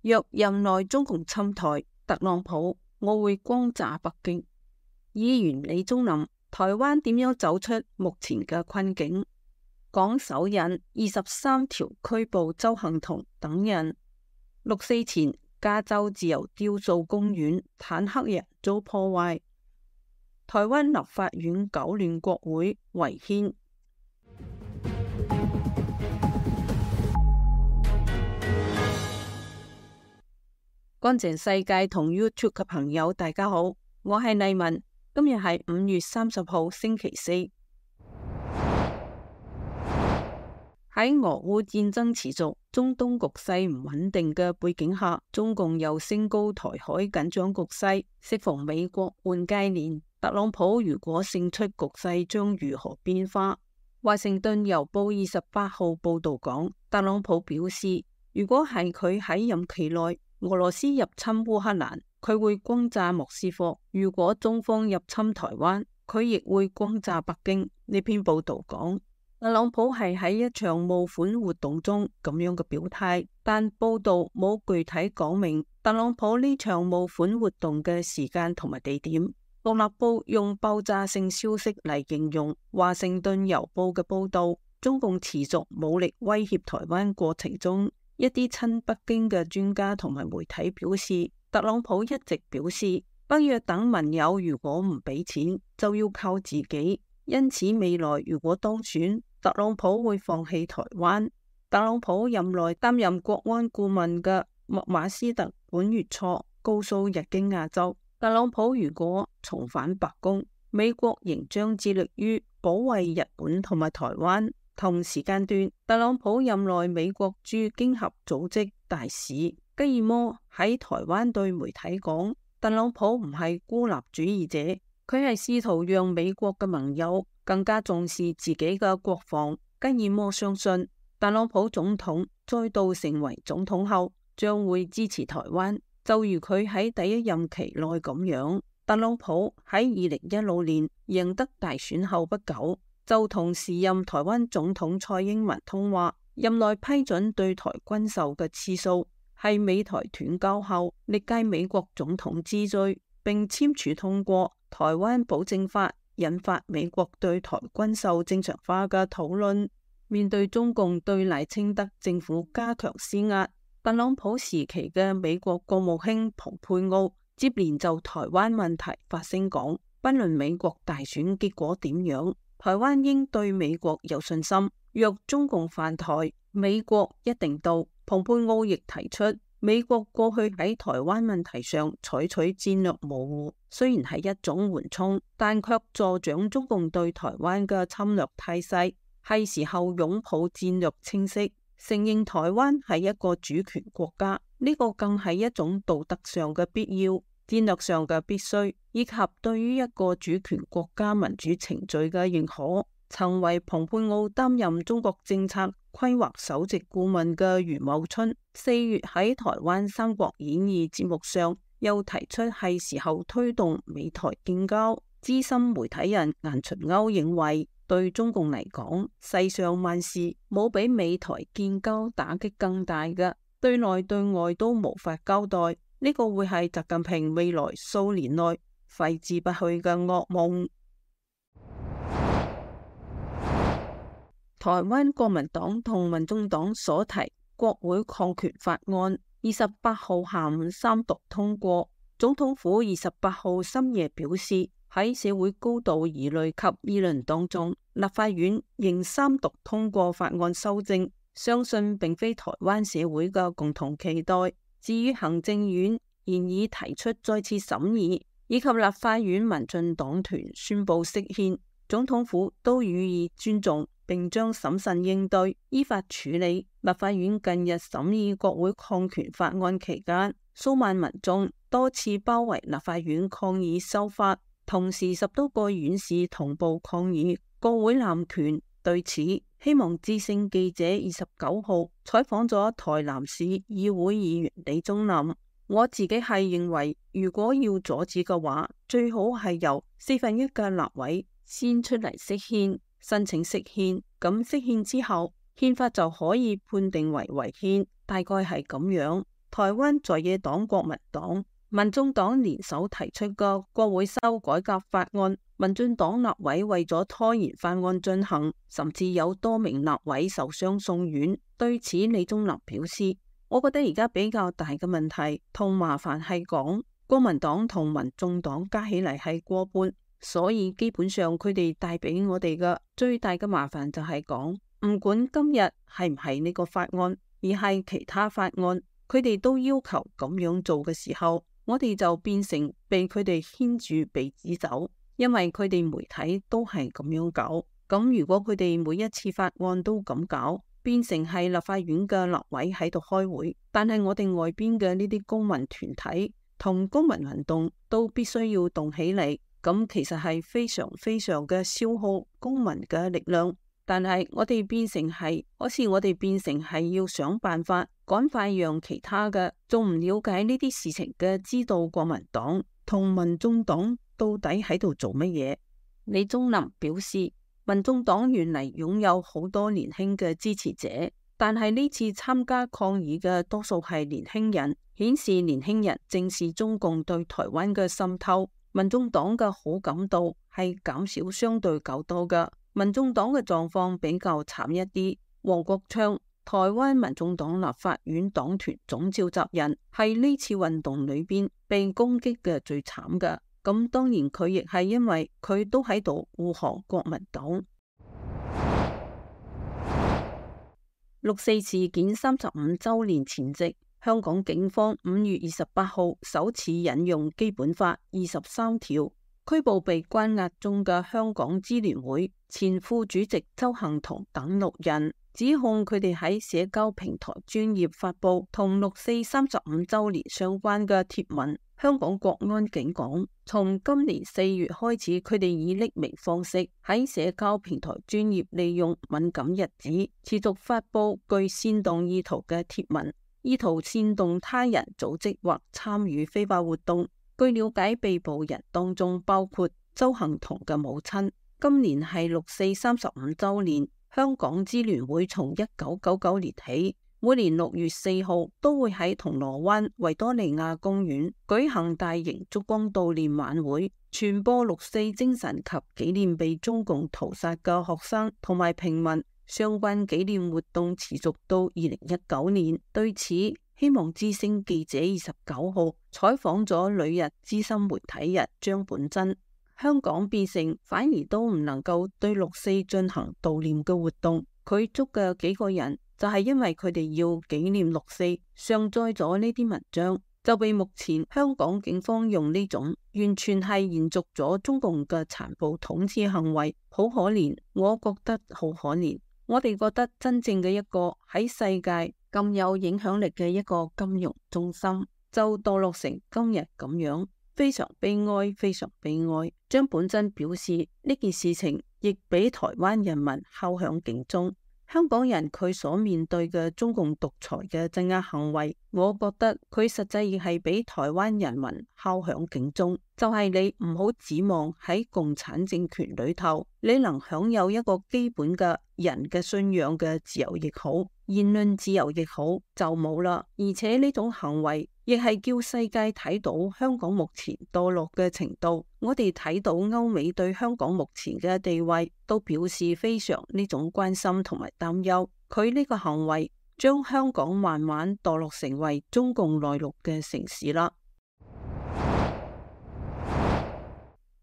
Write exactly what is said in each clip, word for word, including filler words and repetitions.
若任內中共侵台，特朗普我會轟炸北京。議員李宗林，台灣點樣走出目前嘅困境？港手引二十三條拘捕鄒幸彤等人。六四前，加州自由雕塑公園坦克人遭破壞。台灣立法院搞亂國會違憲。乾淨世界同 YouTube 嘅朋友，大家好，我係麗文。今日係五月三十號星期四。喺俄烏戰爭持續、中東局勢唔穩定嘅背景下，中共又升高台海緊張局勢。適逢美國換屆年，特朗普如果勝出，局勢將如何變化？華盛頓郵報二十八號報道講，特朗普表示，如果係佢喺任期內，俄羅斯入侵烏克蘭，佢會轟炸莫斯科；如果中方入侵台灣，佢亦會轟炸北京。呢篇報道講，特朗普係喺一場募款活動中咁樣嘅表態，但報道冇具體講明特朗普呢場募款活動嘅時間同埋地點。獨立報用爆炸性消息嚟形容華盛頓郵報嘅報道。中共持續武力威脅台灣過程中，一啲親北京嘅專家同埋媒體表示，特朗普一直表示，北約等盟友如果唔俾錢，就要靠自己。因此未來如果當選，特朗普會放棄台灣。特朗普任內擔任國安顧問嘅麥馬斯特本月初告訴日經亞洲，特朗普如果重返白宮，美國仍將致力於保衛日本同埋台灣。同時間段，特朗普任內美國駐經合組織大使吉爾摩喺台灣對媒體講，特朗普唔係孤立主義者，佢係試圖讓美國嘅盟友更加重視自己嘅國防。吉爾摩相信，特朗普總統再度成為總統後，將會支持台灣，就如佢喺第一任期內咁樣。特朗普喺二零一六年贏得大選後不久，就同時任台灣總統蔡英文通話，任內批准對台軍售嘅次數係美台斷交後歷屆美國總統之最，並簽署通過台灣保證法，引發美國對台軍售正常化嘅討論。面對中共對賴清德政府加強施壓，特朗普時期嘅美國國務卿蓬佩奧接連就台灣問題發聲講，不論美國大選結果點樣，台灣應對美國有信心，若中共犯台，美國一定到。蓬佩奧亦提出，美國過去喺台灣問題上採取戰略模糊，雖然係一種緩衝，但卻助長中共對台灣嘅侵略態勢，係時候擁抱戰略清晰，承認台灣係一個主權國家，呢個更係一種道德上嘅必要，戰略上嘅必須，以及對於一個主權國家民主程序嘅認可。曾為蓬佩奧擔任中國政策規劃首席顧問嘅余茂春，四月喺台灣《三國演義》節目上又提出係時候推動美台建交。資深媒體人顏純鈎認為，對中共嚟講，世上萬事冇比美台建交打擊更大嘅，對內對外都無法交代。呢個會係習近平未來數年內揮之不去嘅噩夢。台灣國民黨同民眾黨所提國會抗權法案，二十八號下午三讀通過。總統府二十八號深夜表示，喺社會高度疑慮及議論當中，立法院仍三讀通過法案修正，相信並非台灣社會嘅共同期待。至於行政院現已提出再次審議，以及立法院民進黨團宣布釋憲，總統府都予以尊重，並將審慎應對，依法處理。立法院近日審議國會抗權法案期間，數萬民眾多次包圍立法院抗議修法，同時十多個院士同步抗議國會濫權。對此，希望之聲記者二十九號採訪咗台南市議會議員李宗林。我自己係認為，如果要阻止嘅話，最好係由四分一嘅立委先出嚟釋憲，申請釋憲，咁釋憲之後，憲法就可以判定為違憲，大概係咁樣。台灣在野黨國民黨、民眾黨聯手提出嘅國會修改革法案，民進黨立委為咗拖延法案進行，甚至有多名立委受傷送院。對此，李宗霖表示：我覺得而家比較大嘅問題同麻煩係講，國民黨同民眾黨加起嚟係過半，所以基本上佢哋帶俾我哋嘅最大嘅麻煩就係講，唔管今日係唔係呢個法案，而係其他法案，佢哋都要求咁樣做嘅時候，我哋就變成被佢哋牽住鼻子走，因為佢哋媒體都係咁樣搞。咁如果佢哋每一次法案都咁搞，變成係立法院嘅立委喺度開會，但係我哋外邊嘅呢啲公民團體同公民運動都必須要動起嚟，咁其實係非常非常嘅消耗公民嘅力量。但係我哋變成係，好似我哋變成係要想辦法趕快讓其他嘅仲唔了解呢啲事情嘅知道國民黨同民眾黨到底喺度做乜嘢。李宗霖表示，民眾黨原嚟擁有好多年輕嘅支持者，但係呢次參加抗議嘅多數係年輕人，顯示年輕人正視中共對台灣嘅滲透。民眾黨嘅好感度係減少相對較多嘅。民眾黨嘅狀況比較慘一啲。黃國昌，台灣民眾黨立法院黨團總召集人，係呢次運動裏邊被攻擊嘅最慘嘅。咁當然佢亦係因為佢都喺度護航國民黨。六四事件三十五周年前夕，香港警方五月二十八號首次引用基本法二十三條，拘捕被關押中嘅香港支聯會前副主席鄒幸彤等六人，指控佢哋喺社交平台專頁發佈同六四三十五周年相關嘅貼文。香港國安警講，從今年四月開始，佢哋以匿名方式喺社交平台專頁利用敏感日子，持續發佈具煽動意圖嘅貼文，意圖煽動他人組織或參與非法活動。據了解，被捕人當中包括鄒幸彤嘅母親。今年係六四三十五周年，香港支聯會從一九九九年起，每年六月四號都會喺銅鑼灣維多利亞公園舉行大型燭光悼念晚會，傳播六四精神及紀念被中共屠殺嘅學生同埋平民。相關紀念活動持續到二零一九年。對此，希望之聲記者二十九號採訪咗旅日資深媒體人張本真。香港變成反而都唔能夠對六四進行悼念嘅活動。佢捉嘅幾個人就係因為佢哋要紀念六四，上載咗呢啲文章，就被目前香港警方用呢種完全係延續咗中共嘅殘暴統治行為，好可憐。我覺得好可憐。我哋覺得真正嘅一個喺世界咁有影響力嘅一個金融中心，就墮落成今日咁樣，非常悲哀，非常悲哀。張本真表示，呢件事情亦俾台灣人民敲響警鐘。香港人佢所面對嘅中共獨裁嘅鎮壓行為，我覺得佢實際亦係俾台灣人民敲響警鐘，就係你唔好指望喺共產政權裏頭，你能享有一個基本嘅人嘅信仰嘅自由亦好，言論自由亦好，就冇啦。而且呢種行為亦係叫世界睇到香港目前墮落嘅程度。我哋睇到歐美對香港目前嘅地位都表示非常呢種關心同埋擔憂。佢呢個行為將香港慢慢墮落成為中共內陸嘅城市啦。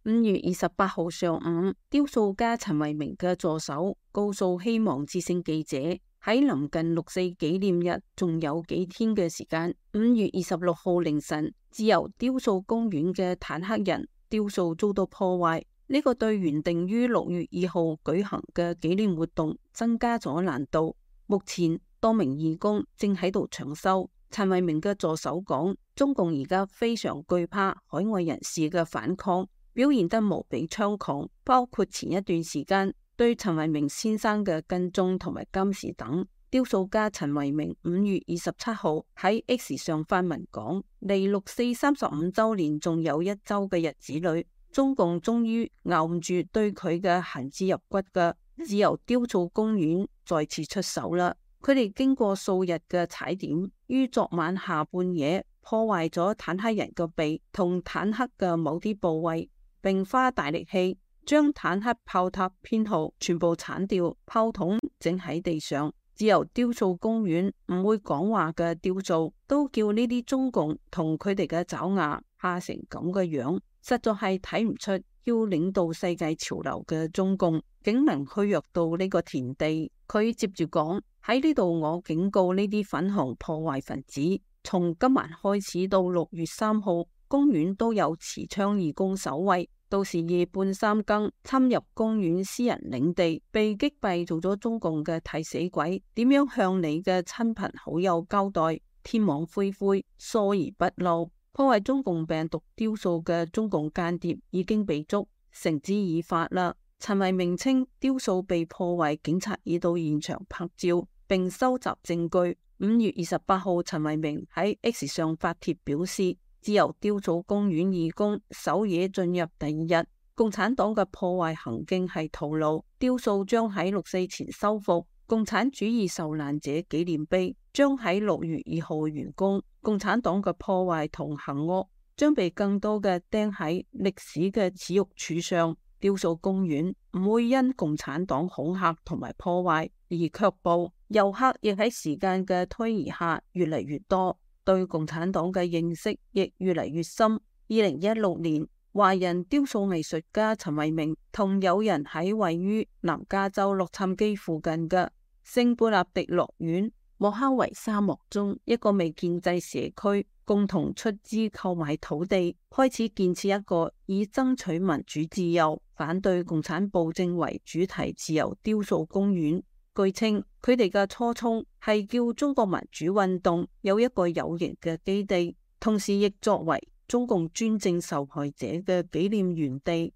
五月二十八號上午，雕塑家陳維明嘅助手告訴希望之聲記者，喺臨近六四紀念日仲有幾天嘅時間，五月二十六號凌晨，自由雕塑公園嘅坦克人雕塑遭到破壞，呢個對原定於六月二號舉行嘅紀念活動增加咗難度。目前多名義工正喺度搶修。陳維明嘅助手講，中共而家非常懼怕海外人士嘅反抗，表現得無比猖狂，包括前一段時間對陳維明先生嘅跟蹤同埋監視等。雕塑家陳維明五月二十七號喺 X 上發文講，離六四三十五周年仲有一周嘅日子裏，中共終於咬唔住對佢嘅恨之入骨嘅自由雕塑公園再次出手啦。佢哋經過數日嘅踩點，於昨晚下半夜破壞咗坦克人嘅鼻同坦克嘅某啲部位，並花大力氣將坦克炮塔編號全部鏟掉，炮筒整喺地上。自由雕塑公園唔會講話嘅雕塑都叫呢啲中共同佢哋嘅爪牙嚇成咁嘅樣，實在係睇唔出要領導世界潮流嘅中共竟能虛弱到呢個田地。佢接住講，喺呢度我警告呢啲粉紅破壞分子，從今晚開始到六月三號，公園都有持槍義工守衛。到時夜半三更侵入公園私人領地，被擊斃做咗中共嘅替死鬼，點樣向你嘅親朋好友交代？天網恢恢，疏而不漏。破壞中共病毒雕塑嘅中共間諜已經被捉，繩之以法啦。陳維明稱雕塑被破壞，警察已到現場拍照並收集證據。五月二十八號，陳維明喺 X 上發帖表示，自由雕塑公園義工守夜進入第二日，共產黨嘅破壞行徑係徒勞，雕塑將喺六四前修復，共產主義受難者紀念碑將喺六月二號完工，共產黨嘅破壞同行惡將被更多嘅釘喺歷史嘅恥辱柱上。雕塑公園唔會因共產黨恐嚇同埋破壞而卻步，遊客亦喺時間嘅推移下越嚟越多，對共產黨嘅認識亦越嚟越深。二零一六年，華人雕塑藝術家陳維明同友人喺位於南加州洛杉磯附近嘅聖貝納迪諾縣莫哈維沙漠中一個未建制社區，共同出資購買土地，開始建設一個以爭取民主自由、反對共產暴政為主題自由雕塑公園。據稱，佢哋嘅初衷係叫中國民主運動有一個有形嘅基地，同時亦作為中共專政受害者嘅紀念園地。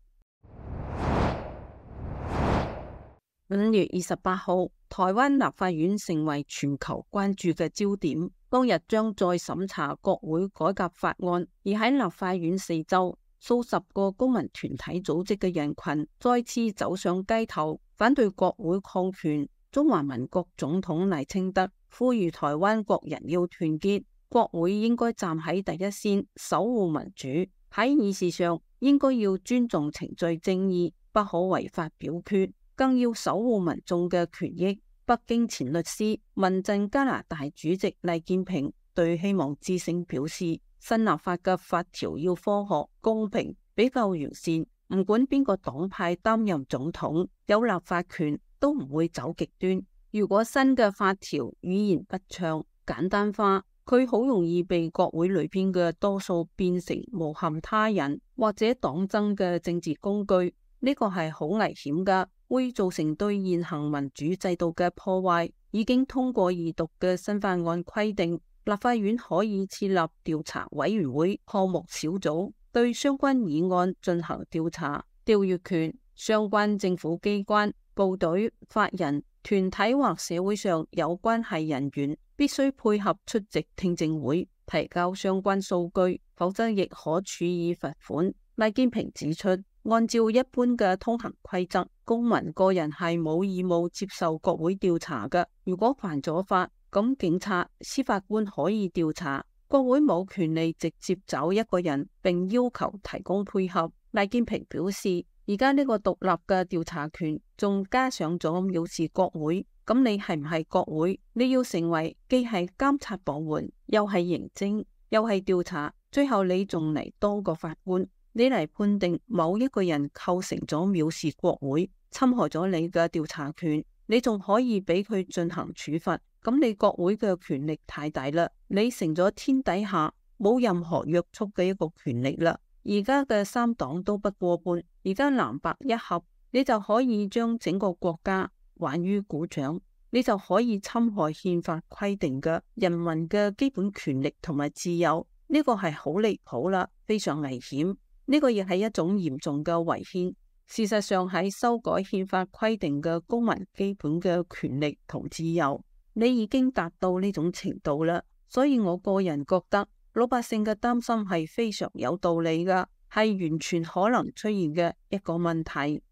五月二十八號，台灣立法院成為全球關注嘅焦點。當日將再審查國會改革法案，而喺立法院四周，數十個公民團體組織嘅人群再次走上街頭，反對國會擴權。中華民國總統賴清德呼籲台灣國人要團結，國會應該站喺第一線守護民主，喺議事上應該要尊重程序正義，不可違法表決，更要守護民眾嘅權益。北京前律師、民陣加拿大主席黎建平對希望之聲表示，新立法嘅法條要科學、公平、比較完善，唔管邊個黨派擔任總統，有立法權都唔會走極端。如果新嘅法條語言不暢、簡單化，佢好容易被國會裏邊嘅多數變成誣陷他人或者黨爭嘅政治工具，呢個係好危險噶，會造成對現行民主制度嘅破壞。已經通過二讀嘅新法案規定，立法院可以設立調查委員會項目小組，對相關議案進行調查。調閱權，相關政府機關、部隊、法人、團體或社會上有關係人員必須配合出席聽證會，提交相關數據，否則亦可處以罰款。賴建平指出，按照一般嘅通行規則，公民個人係冇義務接受國會調查嘅。如果犯咗法，咁警察、司法官可以調查，國會冇權利直接找一個人並要求提供配合。賴建平表示，而家呢個獨立嘅調查權仲加上咗藐視國會，咁你係唔係國會？你要成為既係監察部門，又係刑偵，又係調查，最後你仲嚟當個法官，你嚟判定某一個人構成咗藐視國會，侵害咗你嘅調查權，你仲可以俾佢進行處罰，咁你國會嘅權力太大啦，你成咗天底下冇任何約束嘅一個權力啦。而家嘅三黨都不過半，而家藍白一合，你就可以將整個國家還於股掌，你就可以侵害憲法規定嘅人民嘅基本權利同埋自由，呢個係好離譜啦，非常危險。呢個亦係一種嚴重嘅違憲。事實上喺修改憲法規定嘅公民基本嘅權利同自由，你已經達到呢種程度啦。所以我個人覺得，老百姓嘅擔心係非常有道理噶，係完全可能出現嘅一個問題。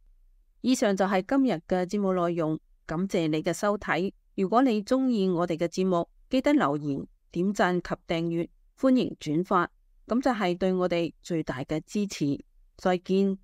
以上就係今日嘅節目內容，感謝你嘅收睇。如果你中意我哋嘅節目，記得留言、點讚及訂閱，歡迎轉發，咁就係對我哋最大嘅支持。再見。